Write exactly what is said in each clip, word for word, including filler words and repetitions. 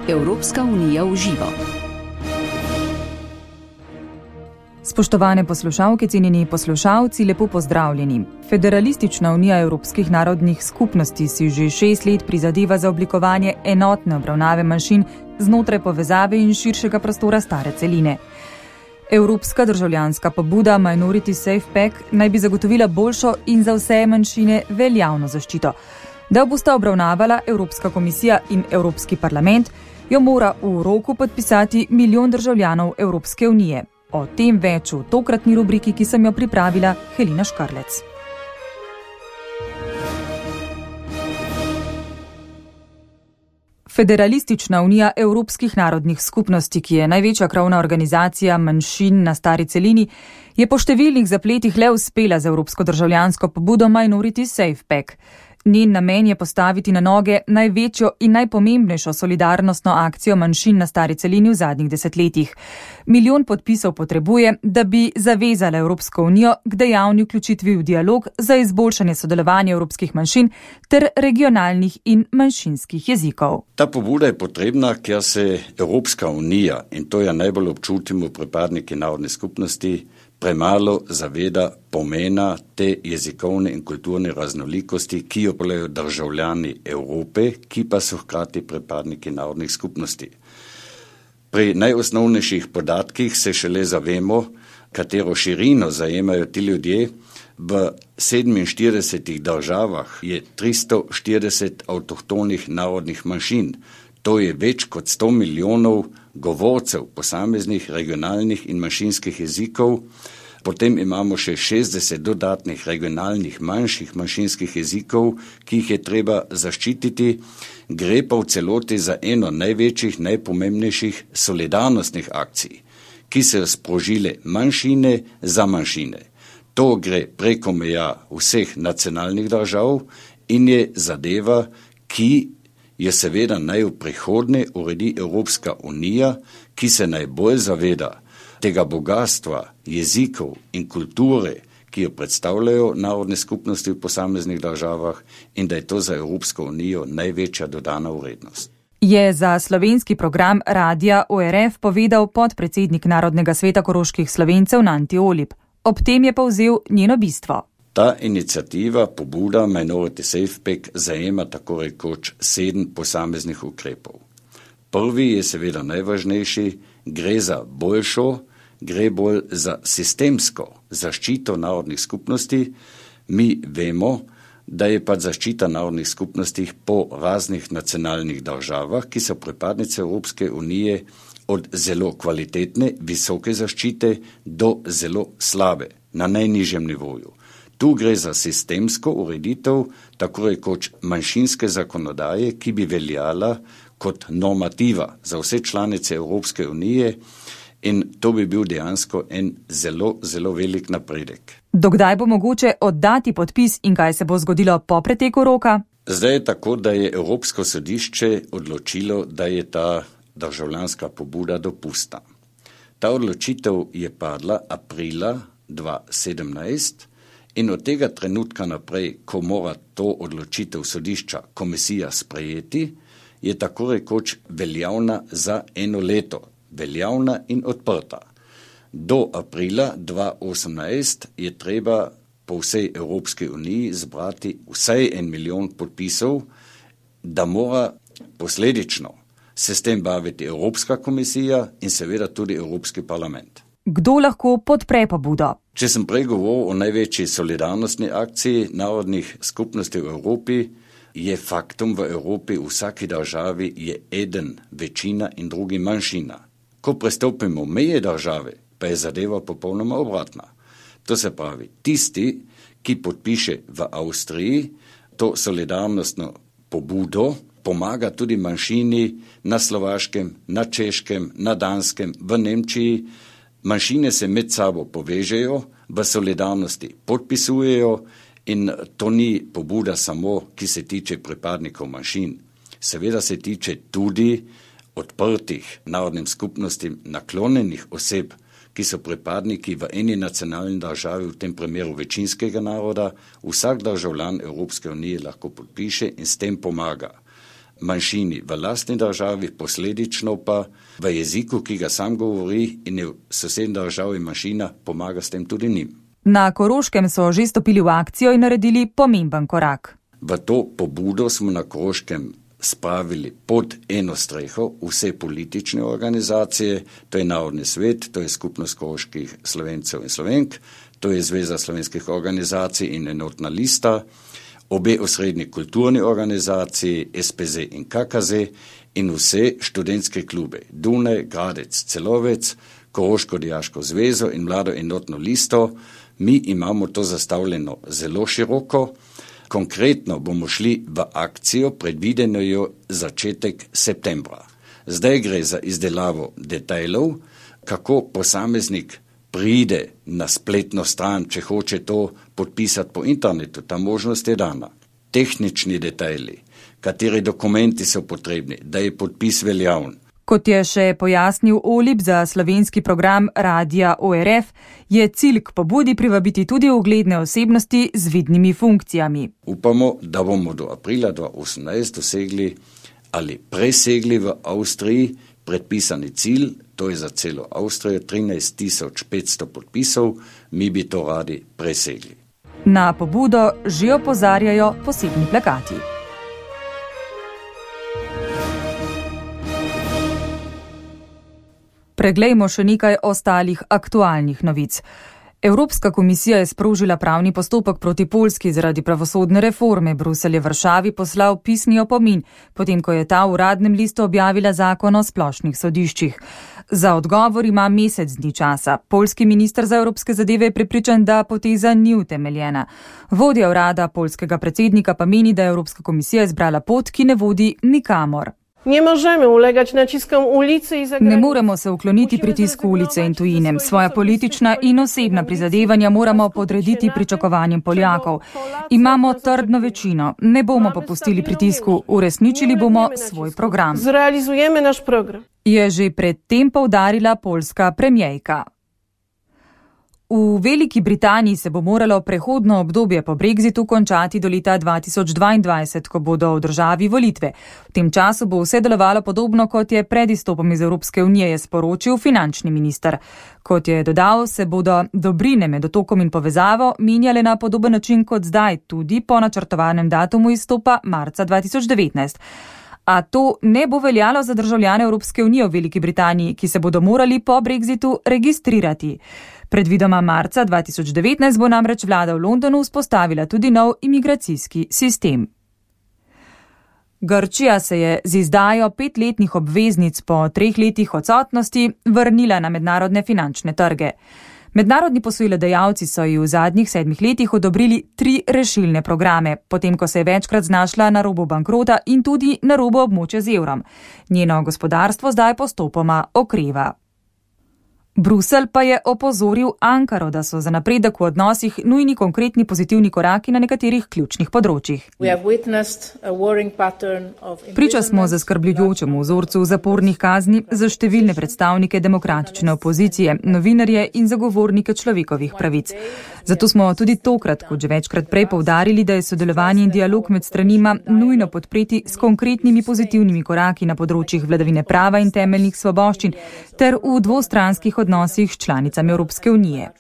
Evropska unija v živo. Spoštovane poslušalke, cenjeni poslušalci, lepo pozdravljeni. Federalistična unija evropskih narodnih skupnosti si že šest let prizadeva za oblikovanje enotne obravnave manjšin znotraj povezave in širšega prostora stare celine. Evropska državljanska pobuda Minority Safe Pack naj bi zagotovila boljšo in za vse manjšine veljavno zaščito. Da bosta obravnavala Evropska komisija in Evropski parlament, jo mora v roku podpisati milijon državljanov Evropske unije. O tem več v tokratni rubriki, ki sem jo pripravila, Helena Škarlec. Federalistična unija evropskih narodnih skupnosti, ki je največja krovna organizacija manjšin na stari celini, je po številnih zapletih le uspela z evropsko državljansko pobudo Minority Safe Pack. Njen namen je postaviti na noge največjo in najpomembnejšo solidarnostno akcijo manjšin na stari celini v zadnjih desetletjih. Milijon podpisov potrebuje, da bi zavezala Evropsko unijo k dejavni vključitvi v dialog za izboljšanje sodelovanja evropskih manjšin ter regionalnih in manjšinskih jezikov. Ta pobuda je potrebna, ker se Evropska unija, in to jo najbolj občutimo pripadniki narodne skupnosti, premalo zaveda pomena te jezikovne in kulturne raznolikosti, ki jo polejo državljani Evrope, ki pa so hkrati pripadniki narodnih skupnosti. Pri najosnovnejših podatkih se šele zavemo, katero širino zajemajo ti ljudje. V sedeminštiridesetih državah je tristo štirideset avtohtonih narodnih manjšin. To je več kot sto milijonov govorcev posameznih regionalnih in manjšinskih jezikov. Potem imamo še šestdeset dodatnih regionalnih manjših manjšinskih jezikov, ki jih je treba zaščititi. Gre pa v celoti za eno največjih, najpomembnejših solidarnostnih akcij, ki so sprožile manjšine za manjšine. To gre preko meja vseh nacionalnih držav in je zadeva, ki je seveda naj v prihodnje uredi Evropska unija, ki se najbolj zaveda tega bogatstva jezikov in kulture, ki jo predstavljajo narodne skupnosti v posameznih državah in da je to za Evropsko unijo največja dodana vrednost. Je za slovenski program Radia O R F povedal podpredsednik Narodnega sveta koroških Slovencev Nanti Olip. Ob tem je povzel njeno bistvo. Ta iniciativa, pobuda Minority Safe Pack, zajema tako rekoč sedem posameznih ukrepov. Prvi je seveda najvažnejši, gre za boljšo, gre bolj za sistemsko zaščito narodnih skupnosti. Mi vemo, da je pa zaščita narodnih skupnosti po raznih nacionalnih državah, ki so pripadnice Evropske unije, od zelo kvalitetne, visoke zaščite do zelo slabe, na najnižjem nivoju. Tu gre za sistemsko ureditev, tako rekoč manjšinske zakonodaje, ki bi veljala kot normativa za vse članice Evropske unije in to bi bil dejansko en zelo, zelo velik napredek. Dokdaj bo mogoče oddati podpis in kaj se bo zgodilo po preteku roka? Zdaj je tako, da je Evropsko sodišče odločilo, da je ta državljanska pobuda dopustna. Ta odločitev je padla aprila dva tisoč sedemnajst in od tega trenutka naprej, ko mora to odločitev sodišča komisija sprejeti, je tako rekoč veljavna za eno leto, veljavna in odprta. Do aprila dva tisoč osemnajst je treba po vsej Evropski uniji zbrati vsaj en milijon podpisov, da mora posledično se s tem baviti Evropska komisija in seveda tudi Evropski parlament. Kdo lahko podpre pobudo? Če sem prej govoril o največji solidarnostni akciji narodnih skupnosti v Evropi, je faktum v Evropi v vsaki državi je eden večina in drugi manjšina. Ko prestopimo meje države, pa je zadeva popolnoma obratna. To se pravi, tisti, ki podpiše v Avstriji to solidarnostno pobudo, pomaga tudi manjšini na Slovaškem, na Češkem, na Danskem, v Nemčiji. Manjšine se med sabo povežejo, v solidarnosti podpisujejo in to ni pobuda samo, ki se tiče pripadnikov manjšin. Seveda se tiče tudi odprtih narodnim skupnostim naklonjenih oseb, ki so pripadniki v eni nacionalni državi, v tem primeru večinskega naroda. Vsak državljan Evropske unije lahko podpiše in s tem pomaga manjšini v lastni državi, posledično pa v jeziku, ki ga sam govori in je v sosednji državi manjšina, pomaga s tem tudi njim. Na Koroškem so že stopili v akcijo in naredili pomemben korak. V to pobudo smo na Koroškem spravili pod eno streho vse politične organizacije, to je Narodni svet, to je Skupnost koroških Slovencev in Slovenk, to je Zveza slovenskih organizacij in Enotna lista, obe osrednji kulturni organizaciji, S P Z in K K Z in vse študentske klube Dunaj, Gradec, Celovec, Koroško dijaško zvezo in Mlado enotno listo. Mi imamo to zastavljeno zelo široko. Konkretno bomo šli v akcijo, predvideno jo začetek septembra. Zdaj gre za izdelavo detajlov, kako posameznik pride na spletno stran, če hoče to podpisati po internetu, ta možnost je dana. Tehnični detajli, kateri dokumenti so potrebni, da je podpis veljavn. Kot je še pojasnil Olip za slovenski program Radia O R F, je cilj k pobudi privabiti tudi ugledne osebnosti z vidnimi funkcijami. Upamo, da bomo do aprila dva tisoč osemnajst dosegli ali presegli v Avstriji predpisani cilj, to je za celo Avstrijo trinajst tisoč petsto podpisov, mi bi to radi presegli. Na pobudo že opozarjajo posebni plakati. Preglejmo še nekaj ostalih aktualnih novic. Evropska komisija je sprožila pravni postopek proti Poljski zaradi pravosodne reforme. Bruselj je Varšavi poslal pisni opomin, potem ko je ta v uradnem listu objavila zakon o splošnih sodiščih. Za odgovor ima mesec dni časa. Poljski minister za evropske zadeve je prepričan, da poteza ni utemeljena. Vodja urada poljskega predsednika pa meni, da je Evropska komisija izbrala pot, ki ne vodi nikamor. Ne možemo ulegati natiskom ulice in zagranice. Ne moremo se ukloniti pritisku ulice in tujine. Svoja politična in osebna prizadevanja moramo podrediti pričakovanjem Poljakov. Imamo trdno večino. Ne bomo popustili pritisku. Uresničili bomo svoj program. Zrealizujemo naš program. Je že predtem poudarila poljska premijejka. V Veliki Britaniji se bo moralo prehodno obdobje po brexitu končati do leta dva tisoč dvaindvajset, ko bodo v državi volitve. V tem času bo vse delovalo podobno, kot je pred izstopom iz Evropske unije, je sporočil finančni minister. Kot je dodal, se bodo dobrine med otokom in povezavo menjale na podoben način kot zdaj, tudi po načrtovanem datumu izstopa marca dva tisoč devetnajst. A to ne bo veljalo za državljane Evropske unije v Veliki Britaniji, ki se bodo morali po brexitu registrirati. Predvidoma marca dva tisoč devetnajst bo namreč vlada v Londonu vzpostavila tudi nov imigracijski sistem. Grčija se je z izdajo petletnih obveznic po treh letih odsotnosti vrnila na mednarodne finančne trge. Mednarodni posojilodajalci so ji v zadnjih sedmih letih odobrili tri rešilne programe, potem ko se je večkrat znašla na robu bankrota in tudi na robu območja z evrom. Njeno gospodarstvo zdaj postopoma okreva. Bruselj pa je opozoril Ankaro, da so za napredek v odnosih nujni konkretni pozitivni koraki na nekaterih ključnih področjih. Priča smo zaskrbljujočemu vzorcu zapornih kazni za številne predstavnike demokratične opozicije, novinarje in zagovornike človekovih pravic. Zato smo tudi tokrat, kot že večkrat prej, poudarili, da je sodelovanje in dialog med stranima nujno podpreti s konkretnimi pozitivnimi koraki na področjih vladavine prava in temeljnih svoboščin ter v dvostranskih odnosih s članicami Evropske unije.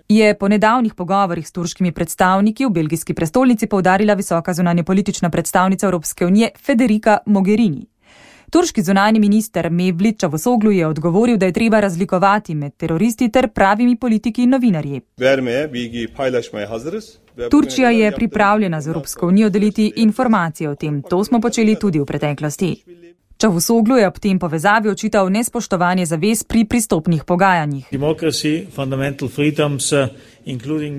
Je po nedavnih pogovorih s turškimi predstavniki v belgijski prestolnici poudarila visoka zunanjepolitična predstavnica Evropske unije Federica Mogherini. Turški zunanji minister Mevlut Cavusoglu je odgovoril, da je treba razlikovati med teroristi ter pravimi politiki in novinarji. Turčija je pripravljena z Evropsko unijo deliti informacije o tem. To smo počeli tudi v preteklosti. Cavusoglu je ob tem povezavi očital nespoštovanje zavez pri pristopnih pogajanjih.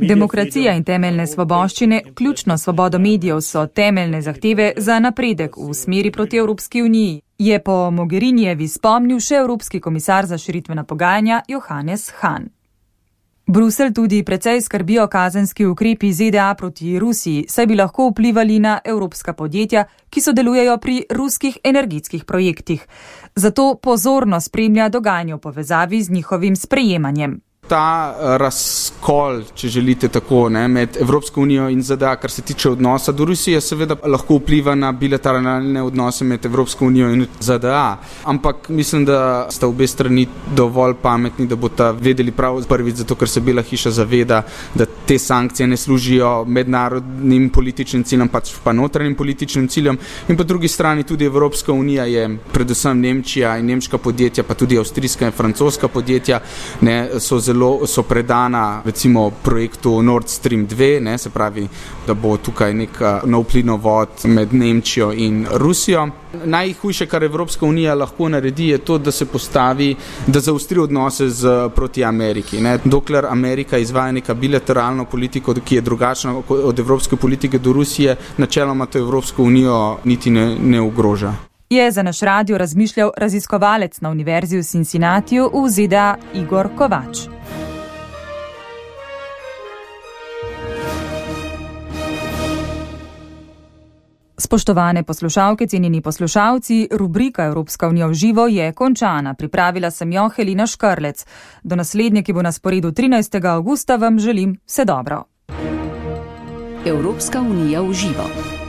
Demokracija in temeljne svoboščine, vključno svobodo medijev, so temeljne zahteve za napredek v smeri proti Evropski uniji, je po Mogherinijevi spomnil še Evropski komisar za širitvena pogajanja Johannes Hahn. Bruselj tudi precej skrbijo kazenski ukrepi Z D A proti Rusiji, saj bi lahko vplivali na evropska podjetja, ki sodelujejo pri ruskih energetskih projektih. Zato pozorno spremlja dogajanje v povezavi z njihovim sprejemanjem. Ta razkol, če želite tako, ne, med Evropsko unijo in Z D A, kar se tiče odnosa do Rusije, seveda lahko vpliva na bilateralne odnose med Evropsko unijo in Z D A. Ampak mislim, da sta obe strani dovolj pametni, da bosta vedeli prav prvič, zato ker se Bela hiša zaveda, da te sankcije ne služijo mednarodnim političnim ciljem, pač pa notranjim političnim ciljem. In po drugi strani tudi Evropska unija je, predvsem Nemčija in nemška podjetja, pa tudi avstrijska in francoska podjetja, ne, so zelo so predana recimo projektu Nord Stream dva, ne, se pravi, da bo tukaj nek nov plinovod med Nemčijo in Rusijo. Najhujše, kar Evropska unija lahko naredi, je to, da se postavi, da zaostri odnose z, proti Ameriki. Ne. Dokler Amerika izvaja neka bilateralno politiko, ki je drugačna od evropske politike do Rusije, načeloma to Evropsko unijo niti ne, ne ogroža. Je za naš radio razmišljal raziskovalec na Univerzi v Cincinnatiju v Z D A Igor Kovač. Spoštovane poslušalke, cenjeni poslušalci, rubrika Evropska unija v živo je končana. Pripravila sem jo Helena Škrlec. Do naslednje, ki bo na sporedu trinajstega avgusta, vam želim vse dobro. Evropska unija v živo.